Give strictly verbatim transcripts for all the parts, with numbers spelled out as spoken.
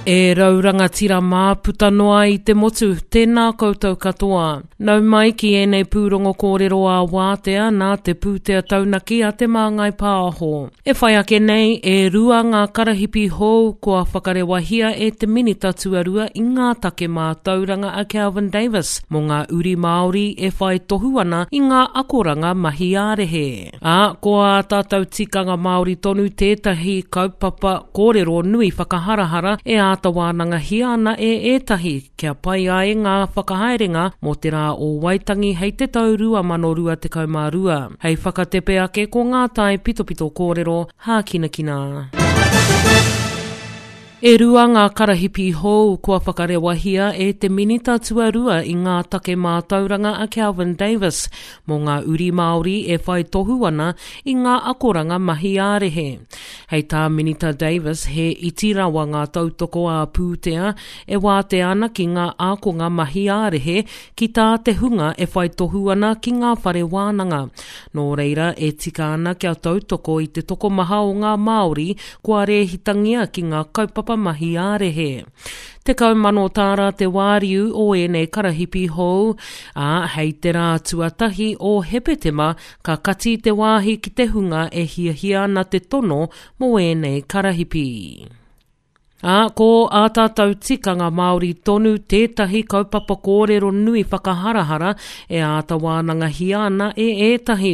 E rau rangatira mā puta noa i te motu, tēnā koutou katoa. Nau mai ki ēnei pūrongo kōrero a wātea nā te pūtea taunaki a Te Māngai Pāho. E whai ake nei, e rua ngā karahipi hou kua whakarewahia e te minita tuarua i ngā take mātauranga a Kelvin Davis mō ngā uri Māori e whai tohu ana i ngā akoranga mahi ā-rehe. Ā, ko ā tātou tikanga Māori tonu tētahi kaupapa kōrero nui whakaharahara e āta wānangahia ana e ētahi kia pai ai ngā whakahaerenga mō te rā o Waitangi hei te tau rua mano rua tekau mā rua. Hei whakatepe ake ko ngā tae pitopito kōrero hākinakina. E rua ngā karahipi hou kua whakarewahia e te minita tuarua i ngā take mātauranga a Kelvin Davis mō ngā uri Māori e whai tohu ana i ngā akoranga mahi ā-rehe. Hei tā Minita Davis, he iti rawa ngā tautoko ā-pūtea e wātea ana ki ngā ākonga mahi ā-rehe ki tā te hunga e whai tohu ana ki ngā whare wānanga. Nō reira, e tika ana kia tautoko i te tokomaha o ngā Māori kua rēhitangia ki ngā kaupapa mahi ā-rehe. Tekau mano tāra te wāriu o ēnei karahipi hou, ā, hei te rā tuatahi o Hepetema ka kati te wāhi ki te hunga e hiahia ana te tono mō ēnei karahipi. Ā, ko ā tātou tikanga Māori tonu tētahi kaupapa kōrero nui whakaharahara e āta wānangahia ana e ētahi,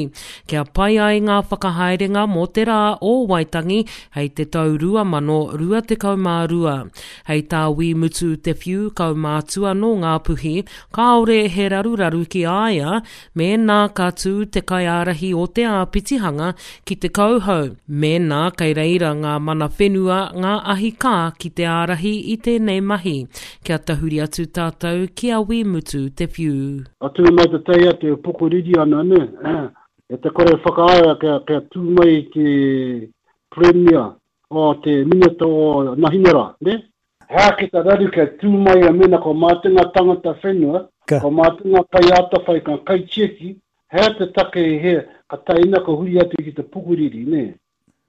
kia pai ai ngā whakahaerenga mō te rā o Waitangi hei te tau rua mano rua tekau mā rua. Hei tā Wī Mutu Te Whiu kaumātua nō Ngāpuhi, kāore he raruraru ki a ia mēnā ka tū te kaiārahi o te āpitihanga ki te kauhau, mēnā kei reira ngā mana whenua, ngā ahi kā ki te ārahi i tēnei mahi. Kia tahuri atu tātou ki a Wī Mutu Te Whiu. Atu mai te teia te pokoriri ana, ne? E te kore whakaaea kia, kia tū mai te Premier o te Minita o Nahinera, ne? Hea ki te raru kia tū mai a mena ko mātou ngā tangata whenua, ko mātou ngā kaiātawhai, ngā kaitiaki, hea te take i hea, ka taina ka huri atu ki te pukuriri, ne?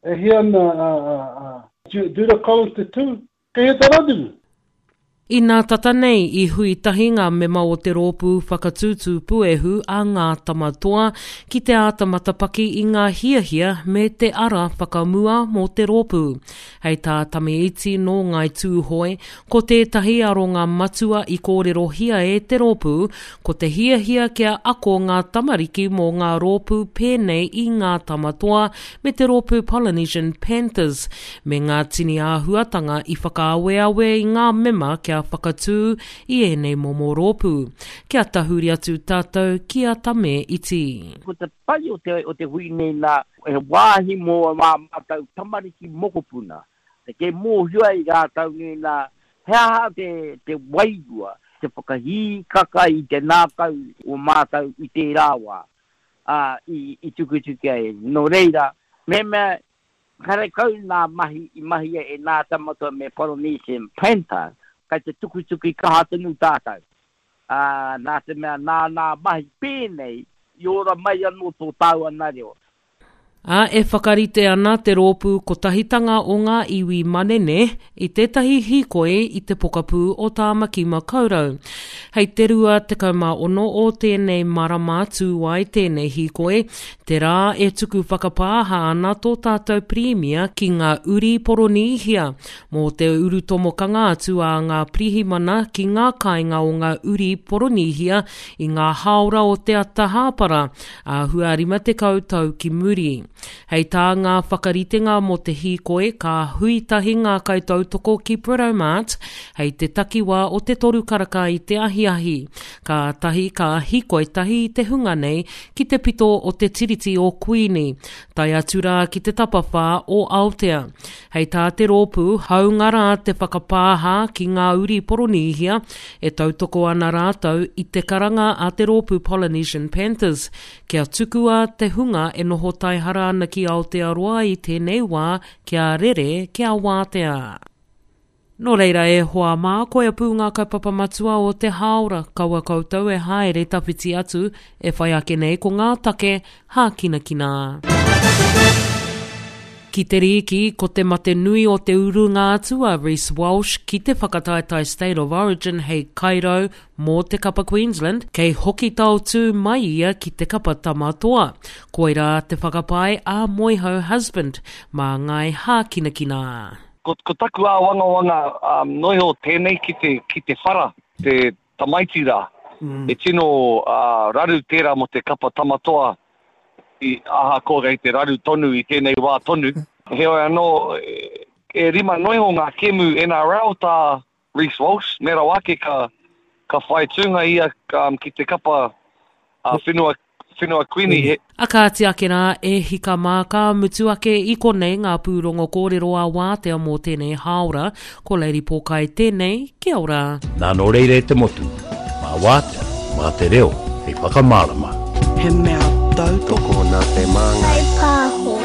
E hea ana a, a, a Judah Collins te tū, kei hea te raru? Inā tata nei i hui tahi ngā mema o te rōpū whakatūtū puehu a Ngā Tamatoa ki te āta matapaki i ngā hiahia me te ara whakamua mō te rōpū. Hei tā Tame Iti nō Ngāi Tūhoe, ko tētahi aronga matua i kōrerohia e te rōpū, ko te hiahia kia ako ngā tamariki mō ngā rōpū pēnei i Ngā Tamatoa me te rōpū Polynesian Panthers, me ngā tini āhuatanga i whakaaweawe i ngā mema kia whakatū i ēnei momo rōpū. Kia tahuri atu tātou ki a Tame Iti. Ko te pai o te, o te hui nei nā, he wāhi mō mā mātou tamariki mokopuna. Te ke mōhio ai rātou nei nā, he aha te, te wairua, te whakahīkaka i te nākau o mātou i tērā wā, ā, i, i tukutuki ai. Nō reira, mehemea karekau nā mahi i mahia e Ngā Tamatoa me Polynesian Panther, kai te tukutuki kaha tonu tātou. Ā, nā te mea nā nā mahi pēnei i ora mai anō tō tāua nā reo. Ā, e whakarite ana te rōpū Kotahitanga o ngā Iwi Manene i tētahi hīkoi i te pokapū o Tāmaki Makaurau. Hei te rua tekau mā ono o tēnei marama tū ai tēnei hīkoi, te rā e tuku whakapāha ana tō tātou Pirimia ki ngā uri Poronīhia mō te urutomokanga atu a ngā pirihimana ki ngā kāinga o ngā uri Poronīhia i ngā hāora o te ata hāpara, āhua rima tekau tau ki muri. Hei tā ngā whakaritenga mō te hīkoi, ka hui tahi ngā kaitautoko ki Britomart hei te takiwā o te toru karaka i te ahiahi. Kātahi ka hīkoi tahi i te hunga nei ki te pito o te Tiriti o Kuini, tae atu rā ki te tapawhā o Aotea. Hei tā te rōpū, hāunga rā te whakapāha ki ngā uri Poronīhia, e tautoko ana rātou i te karanga a te rōpū Polynesian Panthers kia tukua te hunga e noho taihara ana ki Aotearoa i tēnei wā kia rere, kia wātea. Nō reira e hoa mā, koia pū ngā kaupapa matua o te hāora, kaua koutou e haere tawhiti atu, e whai ake nei ko ngā take hākinakina. Ki te rīki, ko te mate nui o te urunga atu a Reece Walsh ki te whakataetae State of Origin hei kairau mō te kapa Queensland, kei hoki taotū mai ia ki te kapa Tama Toa. Koirā te whakapae a Moehau Husband mā Ngāi Hākinakina. Ko, ko taku āwangawanga um, noiho tēnei ki te, ki te whara, te tamaiti rā. Mm. E tino uh, raru tērā mō te kapa Tama Toa i ahakoa kei te raru tonu i tēnei wā tonu. Heoi anō, e, e rima noiho ngā kemu N R L tā Reece Walsh, me rawa ake ka, ka whai tūnga ia um, ki te kapa uh, whenua, whenua Kuini. He, A kāti ake rā, e hika mā, ka mutu ake i konei ngā pūrongo kōrero a wātea mō tēnei hāora. Ko Lady Pōkai tēnei, kia ora. Nā nō reira e te motu, mā wātea, mā te reo, hei whakamārama. He mea tautoko Tokona te māngai. Pāho.